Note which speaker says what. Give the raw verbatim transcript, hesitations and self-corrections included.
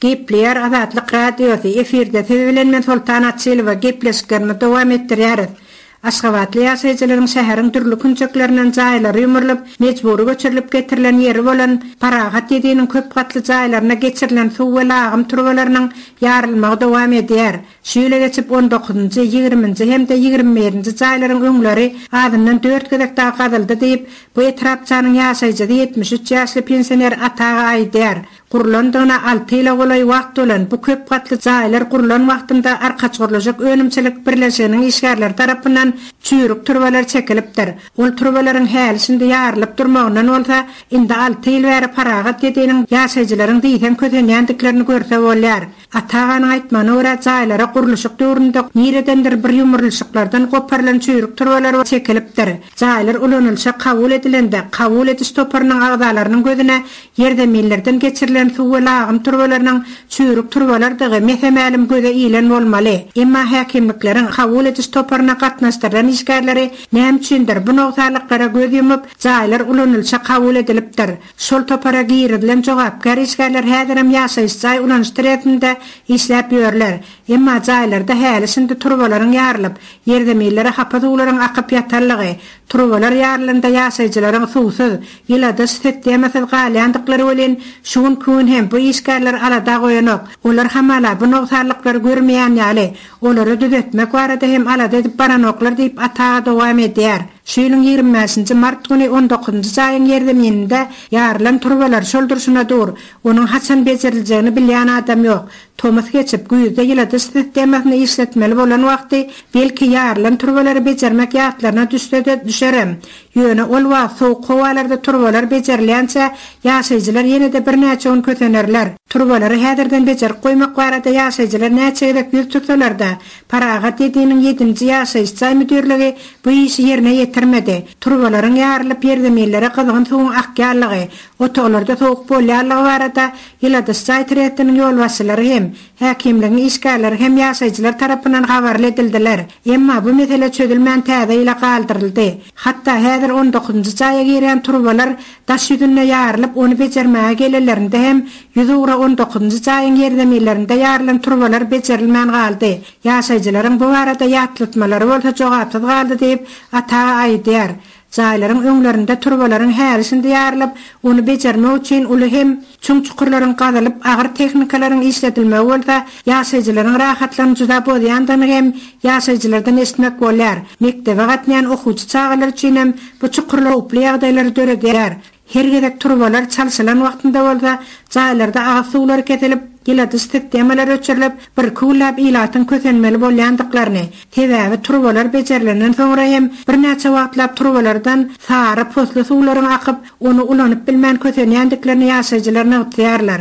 Speaker 1: Gepleýär Azatlyk Radiosy, efirde siz bilen men Soltan Açylowa gepleşiklerimizi dowam etdirýäris. Aşgabatly ýaşaýjylaryň şäheriň dürli künjeklerinden jaýlary ýumrulyp, mejbury göçürilip getirilen ýeri bolan Parahat ýediniň köp gatly jaýlaryna geçirilen suw we lagym turbalarynyň ýarylmagy dowam edýär. Şu ýyla geçip on dokuzynjy, ýigriminji hem-de ýigrimi birinji jaýlaryň öňleri azyndan dört gezek dagy gazyldy diýip, bu etrapçanyň ýaşaýjysy ýetmiş üç ýaşly pensioner Ata aga aýdýar. Gurlandygyna alty ýyla golaý wagt bolan bu köp gatly jaýlar gurlan wagtynda Arkaç gurluşyk önümçilik birleşiginiň işgärleri tarapyndan çüýrük turbalar çekilipdir. Ol turbalaryň häli şindi ýarylyp durmagyndan bolsa, indi alty ýyl bäri Parahat ýediniň ýaşaýjylaryň diýseň kösenýändiklerini görse bolýar. Ata aganyň aýtmagyna görä jaýlara gurluşyk döwründe niredendir bir ýumrulyşyklardan goparylan çüýrük turbalar çekilipdir. Jaýlar ulanylyşa kabul edilende, kabul ediş toparynyň agzalarynyň gözüne ýerzeminlerden geçirilen suw we lagym turbalarynyň çüýrük turbalardygy mese-mälim göze ilen bolmaly. Emma häkimlikleriň kabul ediş toparyna gatnaşdyrylan işgärleri näme üçindir bu nogsanlyklara göz ýumup, jaýlar ulanylyşa kabul edilipdir. Şol topara girizilen jogapkär işgärler häzirem ýaşaýyş jaý ulanyş trestinde işläp ýörler. Emma jaýlarda häli şindi turbalaryň ýarylyp, ýerzeminlere hapa suwlaryň akyp ýatanlygy, turbalar ýarylanda ýaşaýjylaryň suwsuz, ýyladyş sistemasyz galýandyklary welin şu gün gün hem bu işgärler alada goýanok. Olar hamala bu nogsanlyklary görmeýän ýaly, olary düzetmek barada hem alada edip baranoklar diýip Ata aga dowam edýär. Şu ýylyň ýigrimi bäşinji mart güni on dokuzynjy jaýyň ýerzemininde ýarylan turbalar şol durşuna dur. Onuň haçan beceriljegini bilýän adam ýok. Tomus geçip güýzde ýyladyş sistemasyny işletmeli bolan wagty belki ýarylan turbalary bejermek ýatlaryna düşse-de düşerem. Ýöne ol wagt soğuk howalarda turbalar becerilýänçe ýaşaýjylar ýene-de birnäçe gün kösenerler. Turbalary häzirden bejerip goýmak barada ýaşaýjylar näçe gezek ýüz tutsalar-da, Parahat ýediniň ýedinji ýaşaýyş jaý müdirligi bu işi ýerine ýetirmedi. Turbalaryň ýarylyp ýerzeminlere gyzgyn suwuň akýanlygy, otaglarda soğuk bolýanlygy barada ýyladyş jaý trestiniň ýolbaşçylary hem, häkimligiň işgärleri hem ýaşaýjylar tarapyndan habarly edildiler. Emma bu mesele çözülmän täze ýyla galdyryldy. Hatda häzir on dokuzynjy jaýa girýän turbalar daş ýüzünde ýarylyp, ony bejermäge gelenlerinde hem ýüz ugra on dokuzynjy jaýyň ýerzeminlerinde ýarylan turbalar becerilmän galdy. Ýaşaýjylaryň bu barada ýatlatmalary bolsa jogapsyz galdy diýip Ata aga aýdýar. Jaýlaryň öňlerinde turbalaryň häli şindi ýarylyp, ony bejermek üçin uly hem çuň çukurlaryň gazylyp, agyr tehnikalaryň işledilmegi bolsa ýaşaýjylaryň rahatlygyny juda bozýandygyny hem ýaşaýjylardan eşitmek bolýar. Mekdebe gatnaýan okuwçy çagalar üçin hem bu çukurlar howply ýagdaýlary döredýär. Her gezek turbalar çalşylan wagtynda bolsa jaýlarda agyz suwlary kesilip, ýyladyş sistemalary öçürilip, bir küwläp ilatyň kösenmeli bolýandyklaryny, sebäbi turbalar becerilenden soňra hem birnäçe wagtlap turbalardan sary posly suwlaryň akyp, ony ulanyp bilmän kösenýändiklerini ýaşaýjylar nygtaýarlar.